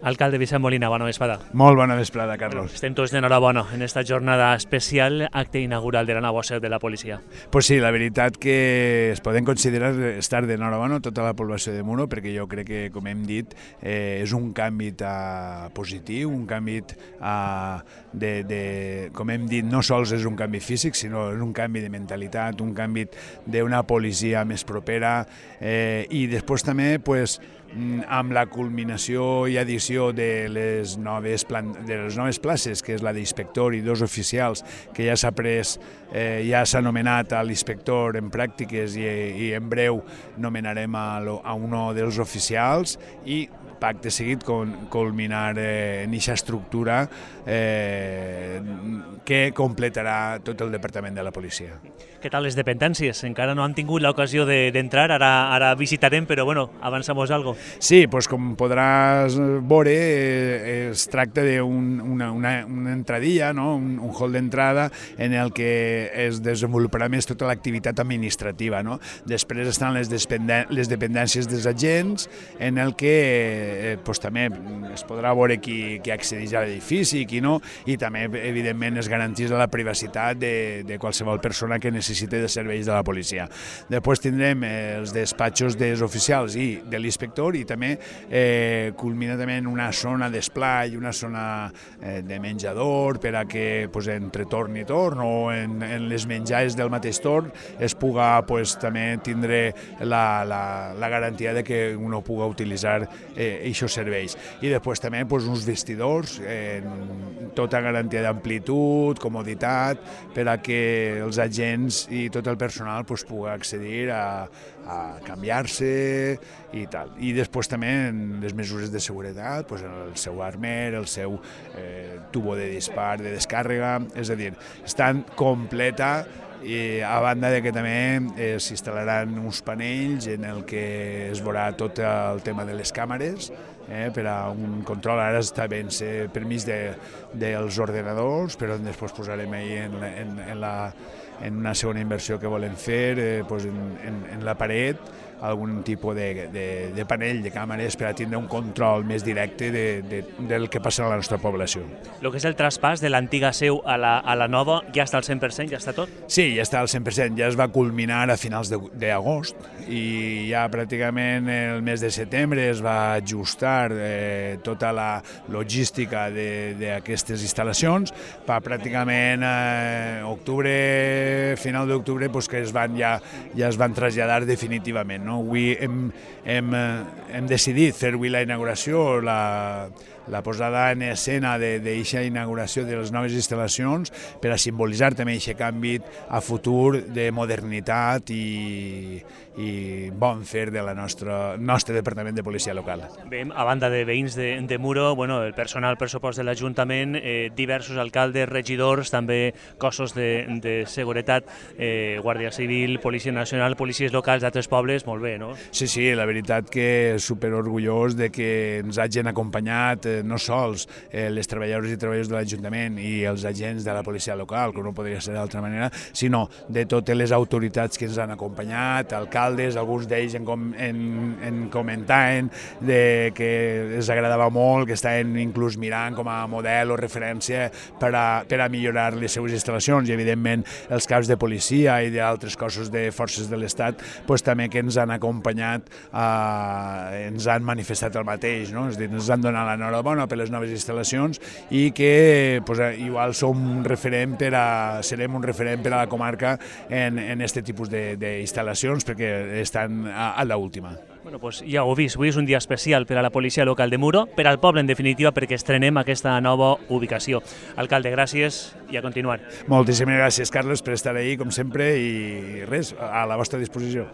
Alcalde Vicent Molina, bona vesprada. Molt bona vesprada, Carlos. Estem tots d'enhorabona en esta jornada especial, acte inaugural de la nova seu de la policia. Pues sí, la veritat que es poden considerar estar d'enhorabona tota la població de Muro, perquè jo crec que, com hem dit, és un canvi positiu, un canvi com hem dit, no sols és un canvi físic, sinó és un canvi de mentalitat, un canvi d'una policia més propera, i després també, pues, amb la culminació i addició de les noves places, que és la d'inspector i dos oficials, que ja s'ha pres, ja s'ha nomenat a l'inspector en pràctiques i en breu nomenarem a un dels oficials, i pacte seguit culminar en aquesta estructura que completarà tot el departament de la policia. Què tal les dependències? Encara no han tingut l'ocasió d'entrar, ara visitarem, però bueno, avançamos algo. Sí, doncs com podràs veure, es tracta d'una entradilla, un hall d'entrada en el que es desenvoluparà més tota l'activitat administrativa. Després estan les dependències dels agents, en el que també es podrà veure qui accedeix a l'edifici i qui no, i també, evidentment, es garanteix la privacitat de qualsevol persona que necessite de serveis de la policia. Després tindrem els despatxos dels oficials i de l'inspector, i també culmina també en una zona d'esplai, una zona de menjador, per a que entre torn i torn o en les menjades del mateix torn es puga també tindre la garantia de que uno puga utilitzar aquests serveis. I després també uns vestidors, tota garantia d'amplitud, comoditat, per a que els agents i tot el personal pugui accedir a canviar-se i tal. I després també les mesures de seguretat, el seu armer, el seu tubo de dispar, de descàrrega, és a dir, estan completa, i a banda de que també s'instal·laran uns panells en el que es veurà tot el tema de les càmeres, per a un control. Ara està ben permís dels ordenadors, però després posarem en una segona inversió que volem fer en la paret algun tipus de panell de càmeres per a tindre un control més directe del que passa a la nostra població. El que és el traspàs de l'antiga seu a la nova ja està al 100%, ja està tot? Sí, ja està al 100%, ja es va culminar a finals d'agost i ja pràcticament el mes de setembre es va ajustar tota la logística d'aquestes instal·lacions, per pràcticament final d'octubre que ja es van traslladar definitivament. Avui hem decidit fer avui la inauguració, la posada en escena d'aquesta inauguració de les noves instal·lacions, per a simbolitzar també aquest canvi a futur de modernitat i bon fer del nostre departament de policia local. Bé, a banda de veïns de Muro, el personal pressupost de l'Ajuntament, diversos alcaldes, regidors, també cossos de seguretat, Guàrdia Civil, Policia Nacional, policies locals d'altres pobles, molt bé, no? Sí, la veritat que superorgullós de que ens hagin acompanyat no sols les treballadors i treballadors de l'Ajuntament i els agents de la policia local, que no podria ser d'altra manera, sinó de totes les autoritats que ens han acompanyat, alcaldes, alguns d'ells en comentaven que els agradava molt, que estaven inclús mirant com a model o referència per a millorar les seues instal·lacions, i evidentment els caps de policia i d'altres cossos de forces de l'Estat també que ens han acompanyat, ens han manifestat el mateix, és a dir, ens han donat l'enhorabona per les noves instal·lacions i que igual serem un referent per a la comarca en aquest tipus d'instal·lacions, perquè estan a l'última. Ja ho heu vist, avui és un dia especial per a la policia local de Muro, per al poble en definitiva, perquè estrenem aquesta nova ubicació. Alcalde, gràcies i a continuar. Moltíssimes gràcies, Carles, per estar ahí, com sempre, i res, a la vostra disposició.